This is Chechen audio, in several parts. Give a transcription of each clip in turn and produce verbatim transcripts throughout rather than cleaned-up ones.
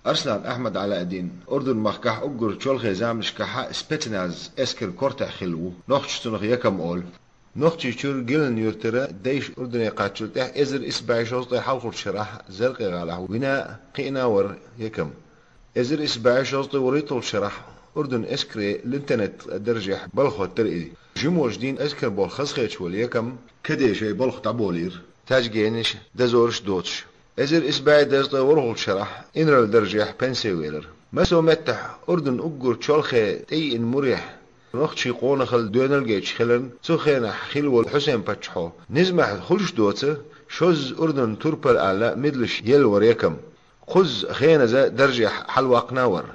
Арслан Ахьмад Ӏалаэддин Урдун-махкахь уггар чолхе заманашкахь спецназ эскар кортехь хилла ву, нохчашца цунах Якам олу. Нохчийчуьра Гилан-Юьртара дайша Урдуне кхаччалла тӀаьхьа эзар исс бӀе шовзткъе хьалхарчу шарахь Заркъе-гӀалахь вина а, кхиъна а вара Якам. Эзар исс бӀе шовзткъе вуьрхӀитталгӀачу шарахь Урдун эскаре лейтенант даржехь балха хӀоттара и. Жимачу дийнахь эскар болх хазахеташ волу Якам каде шайн балха дӀаболийра, таьжгенаш, дозораш доцуш. Эзар исс бӀе дезткъе ворхӀалгӀачу шарахь инарла даржехь пенсе велира. Массо а меттехь Урдун уггар чолхе тӀееана мурехь, нохчийн къонахалла доьналла гайташ хиларна, цу хенахь хилла волу Хьусен-паччахьо низамехь хуьлуш доцу, шозза Урдунан турпал аьлла, медлаш елла вара Якам. Кхузза хеназа даржехь хьалаваккхина а вара.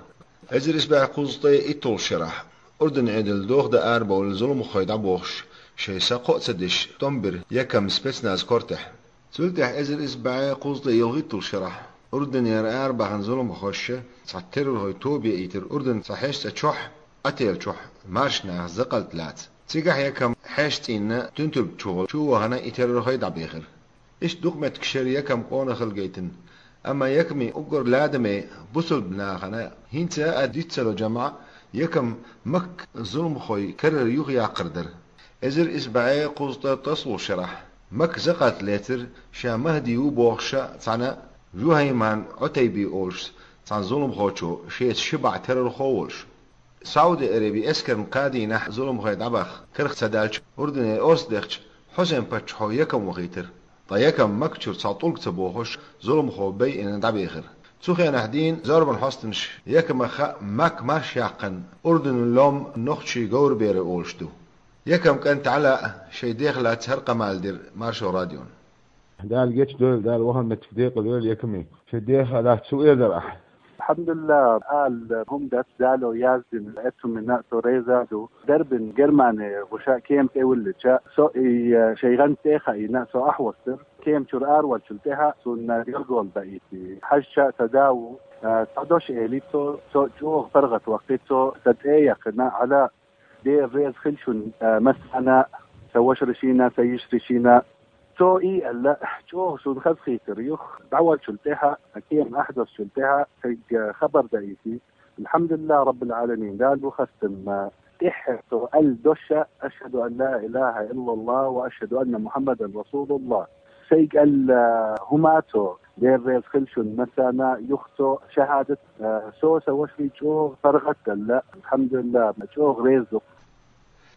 Эзар исс бӀе кхузткъе итталгӀачу шарахь, Урдун Ӏедал доха дан арабевлла зуламхой дӀабохуш, шайн са кхоъ ца деш, тӀом бира Якам спецназ кортехь. Цул тӀаьхьа эзар исс бӀе кхузткъе ялхитталгӀачу шарахь, Урдунера арабаьхна зуламхоша цхьа террорхойн тоба яийтира Урдунан цхьа хьешан цӀа чохь, отель чохь, маршонах закъалт лаца. Цигахь Якам хьешан цӀийнан туьнтург чухула чу а вахана, и террорхой дӀабехира. Иштта дукха меттигаш яра Якаман къонахалла гайтина. Амма Якаман уггар ладаме, бусалба нахана хӀинца а диц ца ло жамӀ, Якам Макка зуламхойн карара юхаяккхар дара. Эзар исс бӀе кхузткъе ткъолгӀачу шарахь Макка закъалт лецира, ша МахӀди ву бохуш цхьана Жухьайман Ӏутайби олуш цхьана зуламхочо, шеца ши бӀе террорхо а волуш. Сауди Араби эскарна кхаа дийнахь зуламхой дӀабаха карах ца даьлча, Урдуне орца дехча, Хьусен-паччахьо Якам вахийтира. Ткъа Якам Макка чуьра цхьа тӀулг ца бохуш, зуламхо байина дӀабехира. Цу хенахь дийна зорбан хьостанаша Якамах а, Макка марш яккхина, Урдунан лом нохчийн говраберар олуш ду. Якаман кӀант Ӏала а шайн дех лаьцна хӀара къамел дира Маршо радиона. Дала гечдойла, Дала вахана меттиг декъалйойла Якаман. Шайн дех а лаьцна цу эзар ахь. Алхьамдулиллах, ала хӀума дац, Дала яздина эцумина а со реза а ду. Дарбин Германе гӀуша кема тӀе виллича, со и, э, шайн гӀанта тӀе а хаийна, со ахь воссура. Кема чуьра араваьллачул тӀаьхьа суна гергол даийти. Хьаьжча а сан да ву, э, цхьа дош элира цо, со чӀогӀа паргӀатваккхи, цо сан тӀе а яьккхина, Ӏала, Дела реза хила шуна, э, массарна а, сан вашаршна а, сан йижаршна а. Цо и аьлла, чӀогӀа суна хазахийтира юха, дӀаваьллачул тӀаьхьа, кема ахь доссачул тӀаьхьа, сайга хабар даийти. Алхьамдулиллах Раббил Ӏаламин, Дала ву хастам, тӀеххьара цо аьлла дош а: «Ашхаду ан ла илаха иллаллах ва ашхаду анна Мухьаммадан расулуллах». Сайга аьлла хӀума цо, Дела реза хила шуна массарна а, юха цо шахьадат, э, со сан вашарий чӀогӀа паргӀатделла, алхьамдулиллах, чӀогӀа реза ду.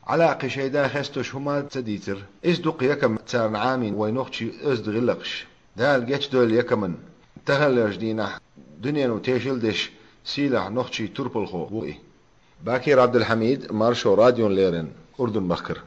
Ӏала кхин шайн да хестош хӀума ца дийцира. Иза ду-кх Якаман царна Ӏамийна вайн нохчийн оьзда гӀиллакхаш. Дала гечдойла Якаман. Таханлерчу дийнахь дуьнено тешал деш сийлахь нохчийн турпалхо ву и. Бакир Ӏабдулхьамид, Маршо радиона леррина, Урдун-махкара.